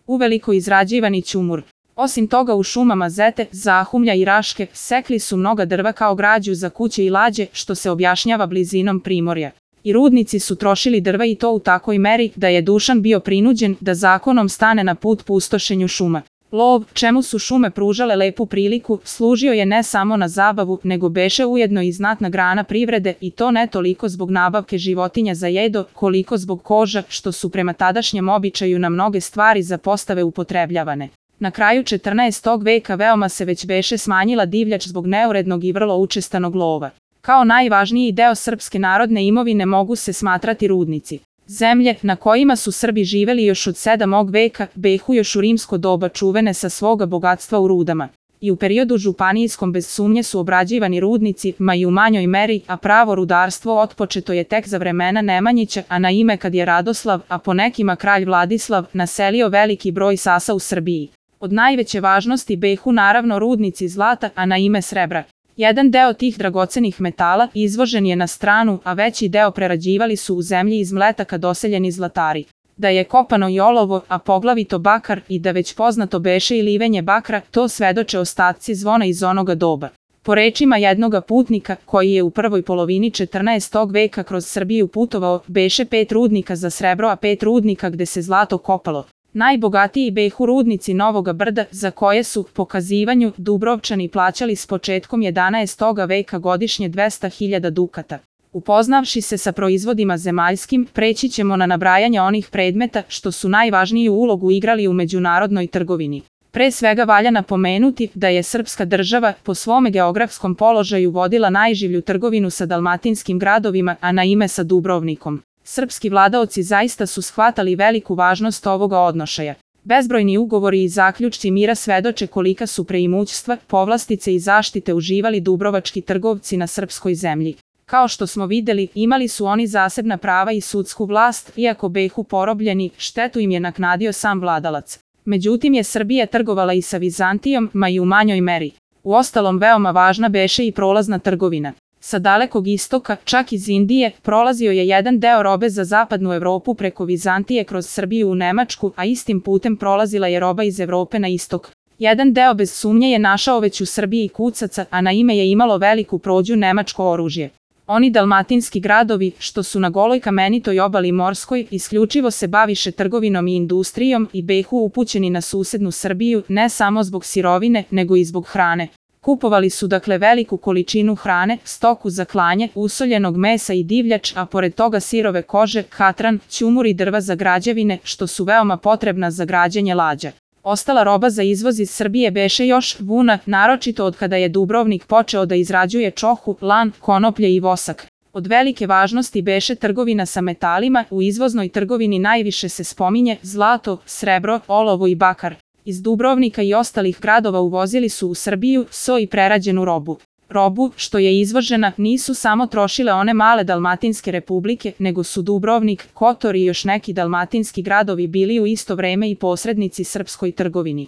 uveliko izrađivani ćumur. Osim toga u šumama Zete, Zahumlja i Raške sekli su mnoga drva kao građu za kuće i lađe, što se objašnjava blizinom primorja. I rudnici su trošili drva i to u takoj meri da je Dušan bio prinuđen da zakonom stane na put pustošenju šuma. Lov, čemu su šume pružale lepu priliku, služio je ne samo na zabavu, nego beše ujedno i znatna grana privrede i to ne toliko zbog nabavke životinja za jedo, koliko zbog koža, što su prema tadašnjem običaju na mnoge stvari za postave upotrebljavane. Na kraju 14. veka veoma se već beše smanjila divljač zbog neurednog i vrlo učestanog lova. Kao najvažniji deo srpske narodne imovine mogu se smatrati rudnici. Zemlje na kojima su Srbi živeli još od 7. veka behu još u rimsko doba čuvene sa svoga bogatstva u rudama. I u periodu županijskom bez sumnje su obrađivani rudnici, ma i u manjoj meri, a pravo rudarstvo otpočeto je tek za vremena Nemanjića, a na ime kad je Radoslav, a po nekima kralj Vladislav, naselio veliki broj sasa u Srbiji. Od najveće važnosti behu naravno rudnici zlata, a na ime srebra. Jedan deo tih dragocenih metala izvožen je na stranu, a veći deo prerađivali su u zemlji iz mletaka doseljeni zlatari. Da je kopano i olovo, a poglavito bakar, i da već poznato beše i livenje bakra, to svedoče ostaci zvona iz onoga doba. Po rečima jednoga putnika, koji je u prvoj polovini 14. veka kroz Srbiju putovao, beše 5 rudnika za srebro, a 5 rudnika gde se zlato kopalo. Najbogatiji behu rudnici Novoga Brda, za koje su, po kazivanju, Dubrovčani plaćali s početkom 11. veka godišnje 200.000 dukata. Upoznavši se sa proizvodima zemaljskim, preći ćemo na nabrajanje onih predmeta što su najvažniju ulogu igrali u međunarodnoj trgovini. Pre svega valja napomenuti da je srpska država po svome geografskom položaju vodila najživlju trgovinu sa dalmatinskim gradovima, a na ime sa Dubrovnikom. Srpski vladaoci zaista su shvatali veliku važnost ovoga odnošaja. Bezbrojni ugovori i zaključci mira svedoče kolika su preimućstva, povlastice i zaštite uživali dubrovački trgovci na srpskoj zemlji. Kao što smo videli, imali su oni zasebna prava i sudsku vlast, iako behu porobljeni, štetu im je naknadio sam vladalac. Međutim je Srbija trgovala i sa Vizantijom, ma i u manjoj meri. Uostalom veoma važna beše i prolazna trgovina. Sa dalekog istoka, čak iz Indije, prolazio je jedan deo robe za zapadnu Evropu preko Vizantije kroz Srbiju u Nemačku, a istim putem prolazila je roba iz Evrope na istok. Jedan deo bez sumnje je našao već u Srbiji kucaca, a na ime je imalo veliku prođu nemačko oružje. Oni dalmatinski gradovi, što su na goloj kamenitoj obali morskoj, isključivo se baviše trgovinom i industrijom i behu upućeni na susednu Srbiju, ne samo zbog sirovine, nego i zbog hrane. Kupovali su dakle veliku količinu hrane, stoku za klanje, usoljenog mesa i divljač, a pored toga sirove kože, katran, ćumur i drva za građevine, što su veoma potrebna za građenje lađa. Ostala roba za izvoz iz Srbije beše još vuna, naročito od kada je Dubrovnik počeo da izrađuje čohu, lan, konoplje i vosak. Od velike važnosti beše trgovina sa metalima, u izvoznoj trgovini najviše se spominje zlato, srebro, olovo i bakar. Iz Dubrovnika i ostalih gradova uvozili su u Srbiju so i prerađenu robu. Robu, što je izvožena, nisu samo trošile one male dalmatinske republike, nego su Dubrovnik, Kotor i još neki dalmatinski gradovi bili u isto vreme i posrednici srpskoj trgovini.